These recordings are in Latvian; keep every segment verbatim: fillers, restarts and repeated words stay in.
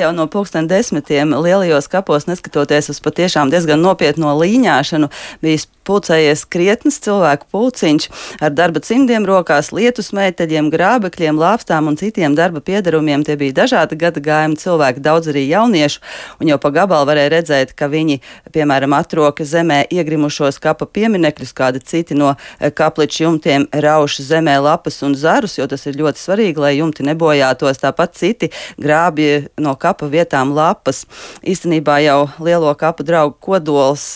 Jau no pulksten desmitiem lielajos kapos, neskatoties uz patiešām diezgan nopietno līņāšanu, bija pulcējies krietnes cilvēku pulciņš ar darba cimdiem rokās, lietus meiteļiem, grābekļiem, lāpstām un citiem darba piedarumiem. Tie bija dažādi gadagājumi cilvēki, daudz arī jauniešu, un jau pa gabalu varēja redzēt, ka viņi, piemēram, atroka zemē iegrimušos kapa pieminekļus, kādi citi no kapliču jumtiem rauš zemē lapas un zarus, jo tas ir ļoti svarīgi, lai jumti nebojātos. Tāpat citi grābja no kapa vietām lapas. Īstenībā jau lielo kapu draugu kodols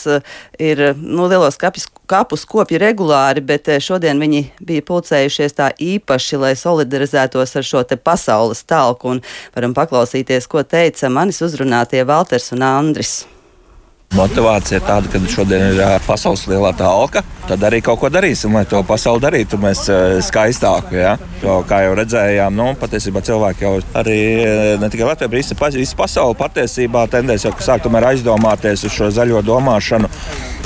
ir, nu, lielos kapis, kapus kopja regulāri, bet šodien viņi bija pulcējušies tā īpaši, lai solidarizētos ar šo te pasaules talku, un varam paklausīties, ko teica manis uzrunātie Valters un Andris. Motivācija ir tāda, ka šodien ir pasaules lielā talka. Tad arī kaut ko darīsim, lai to pasauli darītu mēs skaistāku. Ja? Jo, kā jau redzējām, nu, patiesībā cilvēki jau arī ne tikai Latvijā, bet visi pasauli patiesībā tendēs jau sāk tomēr aizdomāties uz šo zaļo domāšanu.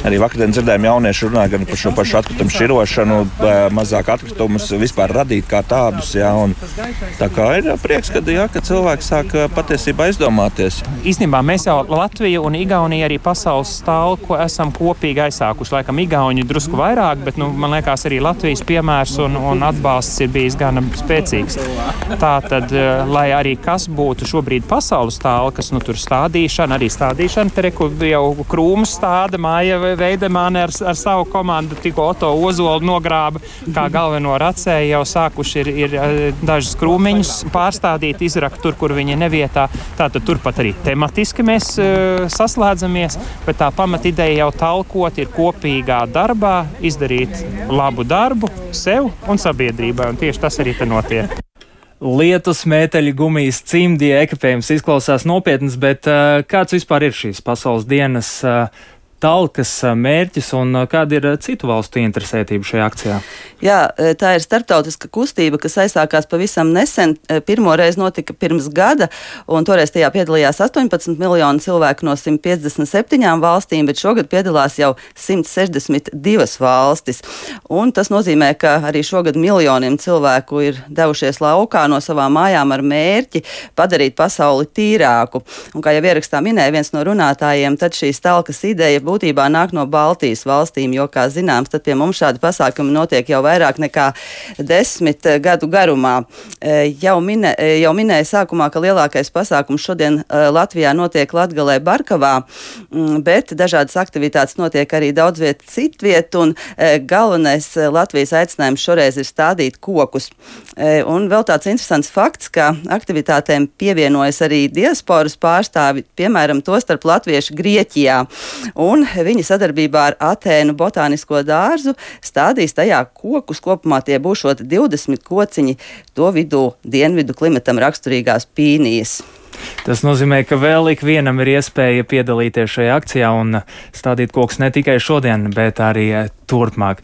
Arī vakardien dzirdējām jaunieši runāja gan par šo pašu atkritumu šķirošanu, mazāk atkritumus vispār radīt kā tādus. Ja? Un tā kā ir prieks, kad, ja, ka cilvēki sāk patiesībā aizdomāties. Īstenībā mēs jau Latviju un Igauniju arī pasaules talku esam kopīgi aizsākuši. Laikam Igauņi drusku vairāk, bet nu, man liekas arī Latvijas piemērs un, un atbalsts ir bijis gana spēcīgs. Tātad, lai arī kas būtu šobrīd pasaules talkas, nu tur stādīšana, arī stādīšana, te reku jau krūmus stāda, māja Veidemāne ar, ar savu komandu tikko Oto Ozolu nogrāba, kā galveno racēju jau sākuši ir, ir dažas krūmiņus pārstādīt, izrakt tur, kur viņi nevietā. Tātad turpat arī tematiski mēs uh, saslēdzamies, bet tā pamatideja jau talkot ir kopīgā darbā, izdarīt labu darbu sev un sabiedrībai, un tieši tas arī te notiek. Lietus, mēteļi, gumijas, cimdi, ekipējums izklausās nopietnas, bet uh, kāds vispār ir šīs pasaules dienas uh, talkas mērķis un kāda ir citu valstu interesētība šajā akcijā? Jā, tā ir starptautiska kustība, kas aizsākās pavisam nesen. Pirmo reizi notika pirms gada, un toreiz tajā piedalījās astoņpadsmit miljoni cilvēku no simt piecdesmit septiņām valstīm, bet šogad piedalās jau simt sešdesmit divas valstis. Un tas nozīmē, ka arī šogad miljoniem cilvēku ir devušies laukā no savām mājām ar mērķi padarīt pasauli tīrāku. Un kā jau ierakstā minēja viens no runātājiem, tad šīs talkas ideja būtībā nāk no Baltijas valstīm, jo, kā zināms, tad pie mums šādi pasākumi notiek jau vairāk nekā desmit gadu garumā. Jau, minē, jau minēja sākumā, ka lielākais pasākums šodien Latvijā notiek Latgalē Barkavā, bet dažādas aktivitātes notiek arī daudz viet citviet, un galvenais Latvijas aicinājums šoreiz ir stādīt kokus. Un vēl tāds interesants fakts, ka aktivitātēm pievienojas arī diasporas pārstāvi, piemēram, tostarp latvieši Grieķijā. Un viņi sadarbībā ar Atēnu botānisko dārzu stādīs tajā kokus. Kopumā tie būšot divdesmit kociņi, to vidū dienvidu klimatam raksturīgās pīnijas. Tas nozīmē, ka vēl ik vienam ir iespēja piedalīties šajā akcijā un stādīt kokus ne tikai šodien, bet arī turpmāk.